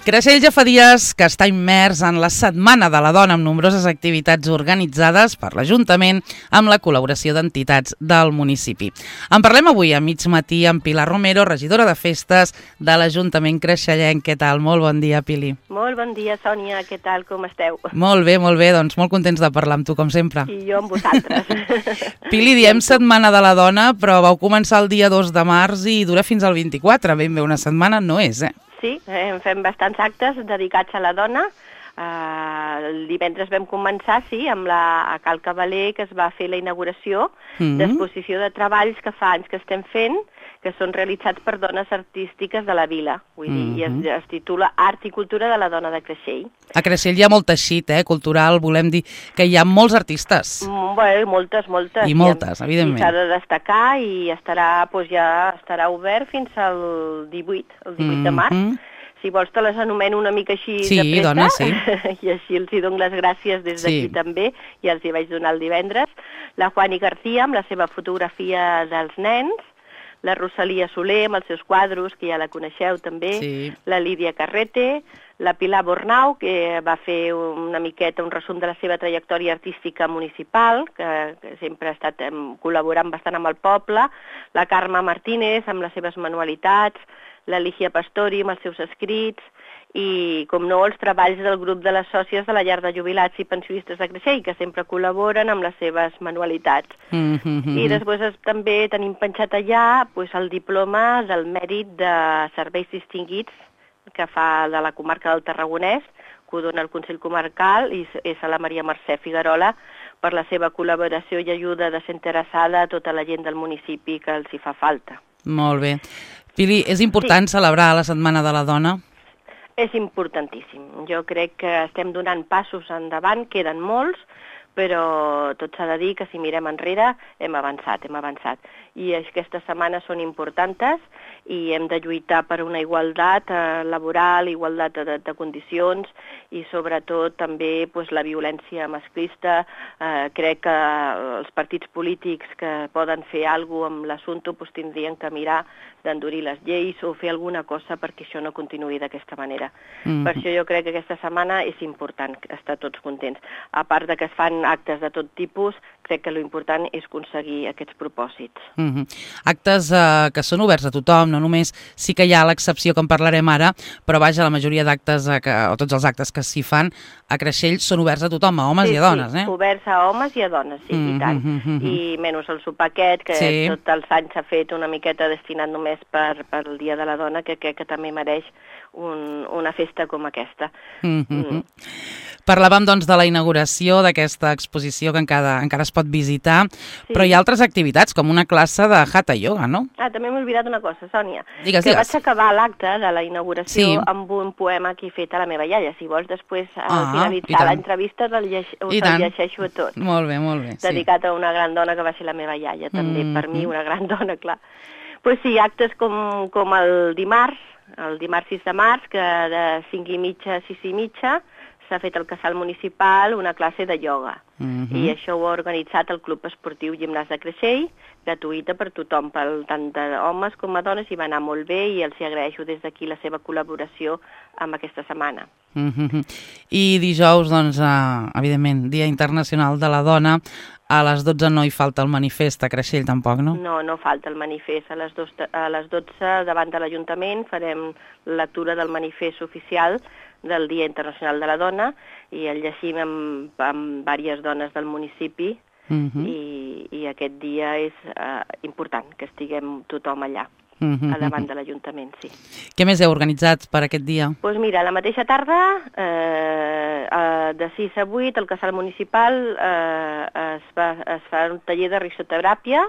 Creixell ja fa dies que està immers en la Setmana de la Dona amb nombroses activitats organitzades per l'Ajuntament amb la col·laboració d'entitats del municipi. En parlem avui a mig matí amb Pilar Romero, regidora de festes de l'Ajuntament creixellenc. Què tal? Molt bon dia, Pili. Molt bon dia, Sònia. Què tal? Com esteu? Molt bé, doncs molt contents de parlar amb tu, com sempre. I jo amb vosaltres. Pili, diem Setmana de la Dona, però vau començar el dia 2 de març i dura fins al 24. Ben bé, una setmana no és, Sí, fem bastants actes dedicats a la dona. El divendres vam començar, a Cal Cavaler, que es va fer la inauguració d'exposició de treballs que fa anys que estem fent, que són realitzats per dones artístiques de la vila. Vull dir, i es titula Art i Cultura de la Dona de Creixell. A Creixell hi ha molt teixit, cultural, volem dir que hi ha molts artistes. Bé, moltes. I moltes, evidentment. I s'ha de destacar i ja estarà obert fins al 18 de març. Si vols te les anomeno una mica així de pressa. Dona, sí. I així els hi dono les gràcies des d'aquí també, i els hi vaig donar el divendres. La Juani García, amb la seva fotografia dels nens, la Rosalia Soler, amb els seus quadros, que ja la coneixeu també, la Lídia Carrete, la Pilar Bornau, que va fer una miqueta un resum de la seva trajectòria artística municipal, que sempre ha estat col·laborant bastant amb el poble, la Carme Martínez, amb les seves manualitats, la Lígia Pastori amb els seus escrits i, com no, els treballs del grup de les sòcies de la llar de jubilats i pensionistes de Creixell, que sempre col·laboren amb les seves manualitats. I després també tenim penjat allà el diploma del mèrit de serveis distinguits que fa de la comarca del Tarragonès, que ho dona el Consell Comarcal, i és a la Maria Mercè Figuerola, per la seva col·laboració i ajuda desinteressada a tota la gent del municipi que els hi fa falta. Molt bé. Pili, és important celebrar la Setmana de la Dona? És importantíssim. Jo crec que estem donant passos endavant, queden molts, però tot s'ha de dir que si mirem enrere hem avançat. I aquestes setmanes són importants i hem de lluitar per una igualtat laboral, igualtat de condicions i sobretot també la violència masclista. Crec que els partits polítics que poden fer alguna cosa amb l'assumpte tindrien que mirar d'endurir les lleis o fer alguna cosa perquè això no continuï d'aquesta manera. Per això jo crec que aquesta setmana és important estar tots contents. A part de que es fan actes de tot tipus, crec que l'important és aconseguir aquests propòsits. Actes que són oberts a tothom, no només sí que hi ha l'excepció que en parlarem ara, però vaja, la majoria d'actes, o tots els actes que s'hi fan a Creixell són oberts a tothom, a homes i a dones, Sí, oberts a homes i a dones, i tant. I menys el sopar aquest, que tots els anys s'ha fet una miqueta destinat només per el Dia de la Dona, que crec que també mereix una festa com aquesta. Parlàvem, doncs, de la inauguració d'aquesta exposició que encara es pot visitar, però hi ha altres activitats, com una classe de Hatha Yoga, no? També m'he oblidat una cosa, Sònia. Digues. Vaig acabar l'acte de la inauguració amb un poema que he fet a la meva iaia. Si vols, després, al finalitzar l'entrevista, us el llegeixo a tot. Molt bé. Dedicat a una gran dona que va ser la meva iaia, també per mi una gran dona, clar. Actes com el dimarts 6 de març, que de 5:30 a 6:30 s'ha fet al casal municipal una classe de ioga. I això ho ha organitzat el Club Esportiu Gimnàs de Creixell, gratuïta per tothom, tant d'homes com a dones, i va anar molt bé i els agraeixo des d'aquí la seva col·laboració amb aquesta setmana. I dijous, doncs, evidentment, Dia Internacional de la Dona, a les 12 no hi falta el manifest a Creixell tampoc, no? No falta el manifest. A les 12 davant de l'Ajuntament farem la lectura del manifest oficial del Dia Internacional de la Dona i el llegim amb diverses dones del municipi i aquest dia és important que estiguem tothom allà. A davant de l'Ajuntament, sí. Què més heu organitzat per aquest dia? Doncs mira, la mateixa tarda, de 6 a 8, al casal municipal es fa un taller de risoteràpia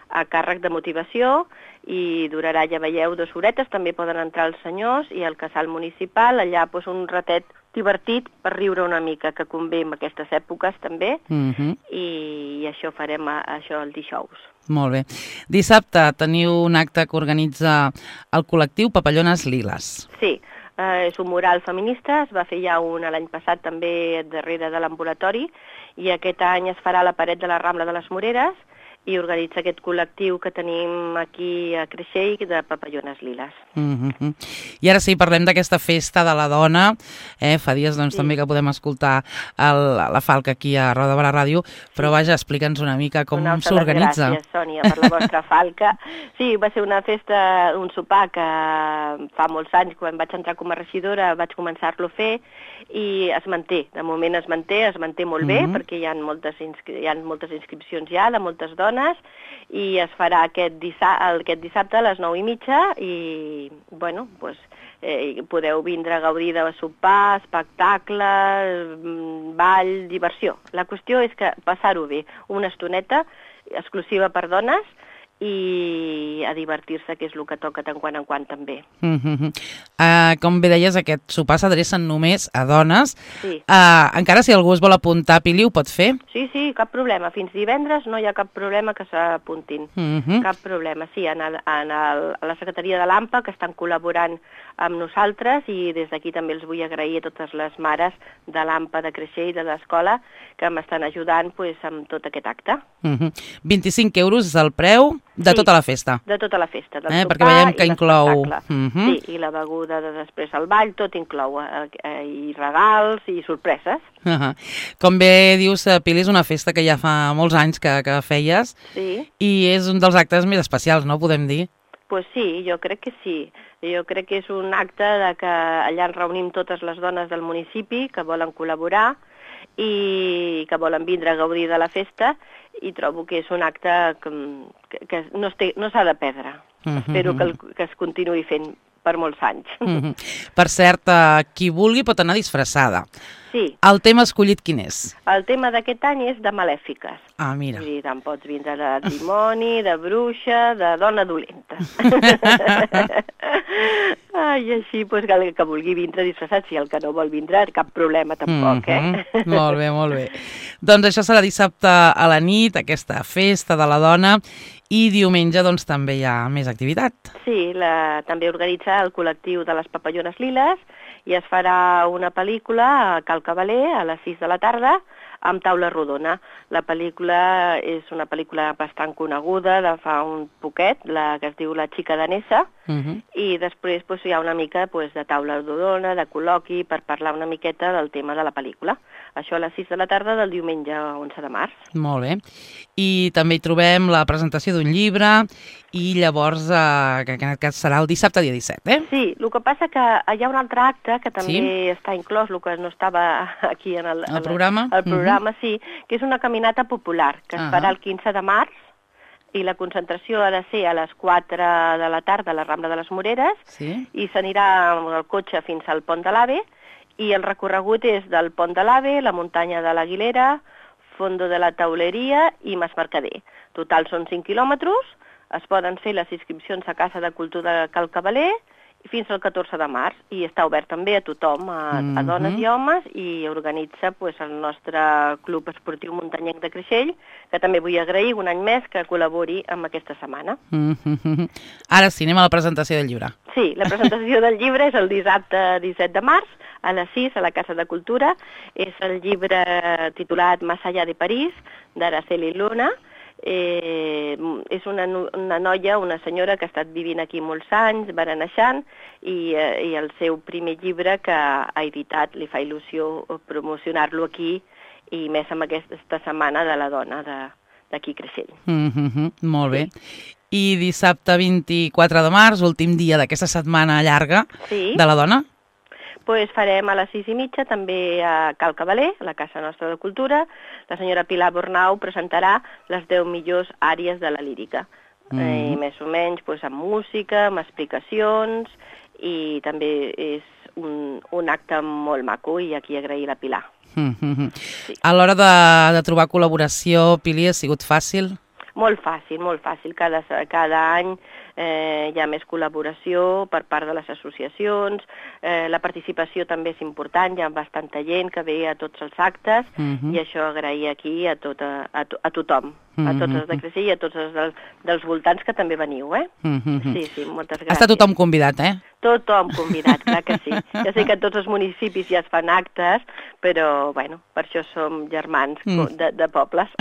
a càrrec de motivació i durarà, ja veieu, 2 horetes, també poden entrar els senyors, i al casal municipal allà un ratet divertit per riure una mica, que convé en aquestes èpoques també, i això farem el dijous. Molt bé. Dissabte teniu un acte que organitza el col·lectiu Papallones Liles. Sí, és un mural feminista, es va fer ja un l'any passat també darrere de l'ambulatori, i aquest any es farà a la paret de la Rambla de les Moreres, i organitza aquest col·lectiu que tenim aquí a Creixell de Papallones Liles. I ara sí, parlem d'aquesta festa de la dona. Fa dies també que podem escoltar la Falca aquí a Roda de Barà Ràdio, però vaja, explica'ns una mica com s'organitza. Gràcies, Sònia, per la vostra Falca. Sí, va ser una festa, un sopar que fa molts anys, quan vaig entrar com a regidora, vaig començar-lo a fer i es manté. De moment es manté molt bé, perquè hi ha moltes inscripcions ja de moltes dones, i es farà aquest dissabte a les 9:30 i, bueno, doncs, podeu vindre a gaudir de sopar, espectacles, ball, diversió. La qüestió és que passar-ho bé, una estoneta exclusiva per dones, i a divertir-se, que és el que toca tant quan en quant també. Com bé deies, aquest sopar s'adrecen només a dones. Sí. Encara si algú es vol apuntar, Pili, ho pot fer? Sí, cap problema. Fins divendres no hi ha cap problema que s'apuntin. Cap problema. Sí, a la Secretaria de l'AMPA, que estan col·laborant amb nosaltres, i des d'aquí també els vull agrair a totes les mares de l'AMPA de Creixell, de l'escola, que m'estan ajudant amb tot aquest acte. 25 euros és el preu de tota la festa. De tota la festa, del sopar perquè veiem que inclou... Sí, i la beguda de després al ball, tot inclou, i regals i sorpreses. Com bé dius, Pili, és una festa que ja fa molts anys que feies, i és un dels actes més especials, no podem dir? Pues sí, jo crec que sí. Jo crec que és un acte que allà ens reunim totes les dones del municipi que volen col·laborar i que volen vindre a gaudir de la festa, i trobo que és un acte que no s'ha de perdre. Espero que es continuï fent per molts anys. Per cert, qui vulgui pot anar disfressada. Sí. El tema escollit quin és? El tema d'aquest any és de malèfiques. Ah, mira. Vull dir, tant pots vindre de dimoni, de bruixa, de dona dolenta. I així, doncs, que vulgui vindre disfressat, si el que no vol vindre, cap problema tampoc, Molt bé, molt bé. Doncs això serà dissabte a la nit, aquesta festa de la dona, i diumenge doncs també hi ha més activitat. Sí, també organitza el col·lectiu de les Papallones Liles, i es farà una pel·lícula a Cal Cavaler a les 6 de la tarda amb taula rodona. La pel·lícula és una pel·lícula bastant coneguda de fa un poquet, la que es diu La xica danesa, i després hi ha una mica de taula rodona, de col·loqui, per parlar una miqueta del tema de la pel·lícula. Això a les 6 de la tarda del diumenge 11 de març. Molt bé. I també hi trobem la presentació d'un llibre, i llavors, que en aquest cas serà el dissabte dia 17, Sí, el que passa que hi ha un altre acte que també està inclòs, el que no estava aquí en el programa. El programa, sí, que és una caminata popular, que es farà el 15 de març, i la concentració ha de ser a les 4 de la tarda a la Rambla de les Moreres, i s'anirà amb el cotxe fins al Pont de l'Ave, i el recorregut és del Pont de l'Ave, la muntanya de l'Aguilera, Fondo de la Tauleria i Mas Mercader. Total són 5 quilòmetres, es poden fer les inscripcions a Casa de Cultura de Cal Cavaler fins al 14 de març, i està obert també a tothom, a dones i homes, i organitza el nostre Club Esportiu Muntanyenc de Creixell, que també vull agrair un any més que col·labori amb aquesta setmana. Ara sí, anem a la presentació del llibre. Sí, la presentació del llibre és el dissabte 17 de març, a les 6, a la Casa de Cultura. És el llibre titulat Más allá de París, d'Araceli Luna. És una noia, una senyora que ha estat vivint aquí molts anys, bereneixant, i el seu primer llibre que ha editat, li fa il·lusió promocionar-lo aquí, i més amb aquesta setmana de la dona d'aquí Creixell. Molt bé. I dissabte 24 de març, últim dia d'aquesta setmana llarga de la dona? Doncs farem a les 6:30 també a Cal Cavaler, a la Casa Nostra de Cultura. La senyora Pilar Bornau presentarà les 10 millors àrees de la lírica. I més o menys amb música, amb explicacions, i també és un acte molt maco, i aquí agrair la Pilar. A l'hora de trobar col·laboració, Pili, ha sigut fàcil? Molt fàcil, molt fàcil. Cada any hi ha més col·laboració per part de les associacions, la participació també és important, hi ha bastanta gent que ve a tots els actes, i això agrair aquí a tothom, a tots els de Creixell i a tots els dels voltants que també veniu, Sí, moltes gràcies. Està tothom convidat, Tothom convidat, clar que sí. Ja sé que tots els municipis ja es fan actes, però, bueno, per això som germans de pobles.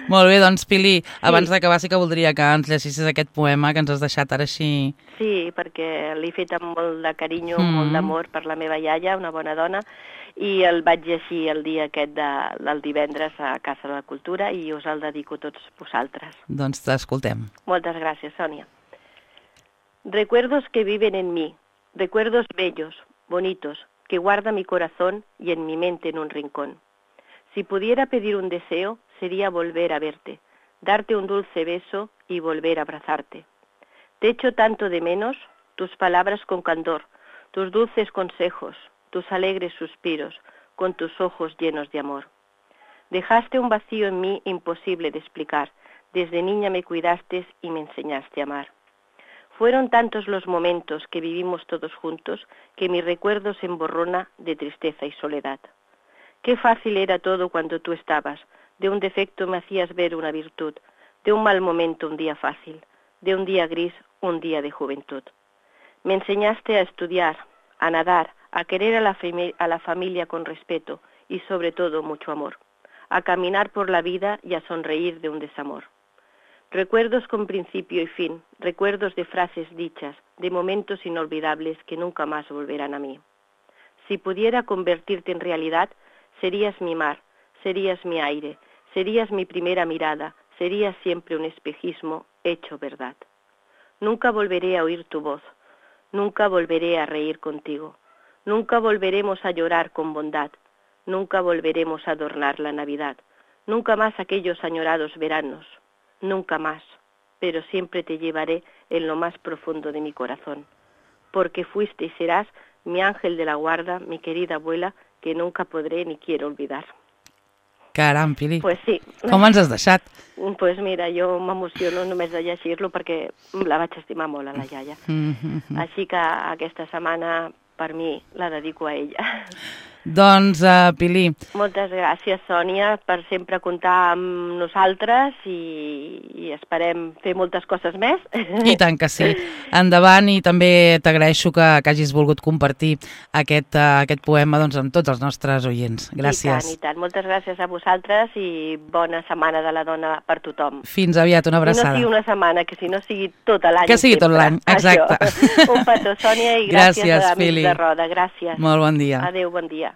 Molt bé, doncs, Pili, abans d'acabar sí que voldria que ens llegissis aquest poema que ens has deixat ara així. Sí, perquè l'he fet amb molt de carinyo, molt d'amor per la meva iaia, una bona dona, i el vaig llegir el dia aquest del divendres a Casa de la Cultura i us el dedico a tots vosaltres. Doncs t'escoltem. Moltes gràcies, Sònia. Recuerdos que viven en mí, recuerdos bellos, bonitos, que guarda mi corazón y en mi mente en un rincón. Si pudiera pedir un deseo, sería volver a verte, darte un dulce beso y volver a abrazarte. Te echo tanto de menos, tus palabras con candor, tus dulces consejos, tus alegres suspiros, con tus ojos llenos de amor. Dejaste un vacío en mí imposible de explicar, desde niña me cuidaste y me enseñaste a amar. Fueron tantos los momentos que vivimos todos juntos que mi recuerdo se emborrona de tristeza y soledad. Qué fácil era todo cuando tú estabas, de un defecto me hacías ver una virtud, de un mal momento un día fácil, de un día gris un día de juventud. Me enseñaste a estudiar, a nadar, a querer a la familia con respeto y sobre todo mucho amor, a caminar por la vida y a sonreír de un desamor. Recuerdos con principio y fin, recuerdos de frases dichas, de momentos inolvidables que nunca más volverán a mí. Si pudiera convertirte en realidad, serías mi mar, serías mi aire, serías mi primera mirada, serías siempre un espejismo hecho verdad. Nunca volveré a oír tu voz, nunca volveré a reír contigo, nunca volveremos a llorar con bondad, nunca volveremos a adornar la Navidad, nunca más aquellos añorados veranos, nunca más, pero siempre te llevaré en lo más profundo de mi corazón, porque fuiste y serás mi ángel de la guarda, mi querida abuela, que nunca podré ni quiero olvidar. Caram, Pili. Pues sí. Com ens has deixat? Pues mira, jo m'emociono només de llegir-lo perquè la vaig estimar molt, a la iaia. Així que aquesta setmana, per mi, la dedico a ella. Doncs, Pili... Moltes gràcies, Sònia, per sempre comptar amb nosaltres i esperem fer moltes coses més. I tant que sí. Endavant, i també t'agraeixo que hagis volgut compartir aquest poema amb tots els nostres oients. Gràcies. I tant. Moltes gràcies a vosaltres i bona Setmana de la Dona per tothom. Fins aviat, una abraçada. I no sigui una setmana, que si no sigui tot l'any. Que sigui tot l'any, exacte. Un petó, Sònia, i gràcies a Amics de Roda. Gràcies. Molt bon dia. Adéu, bon dia.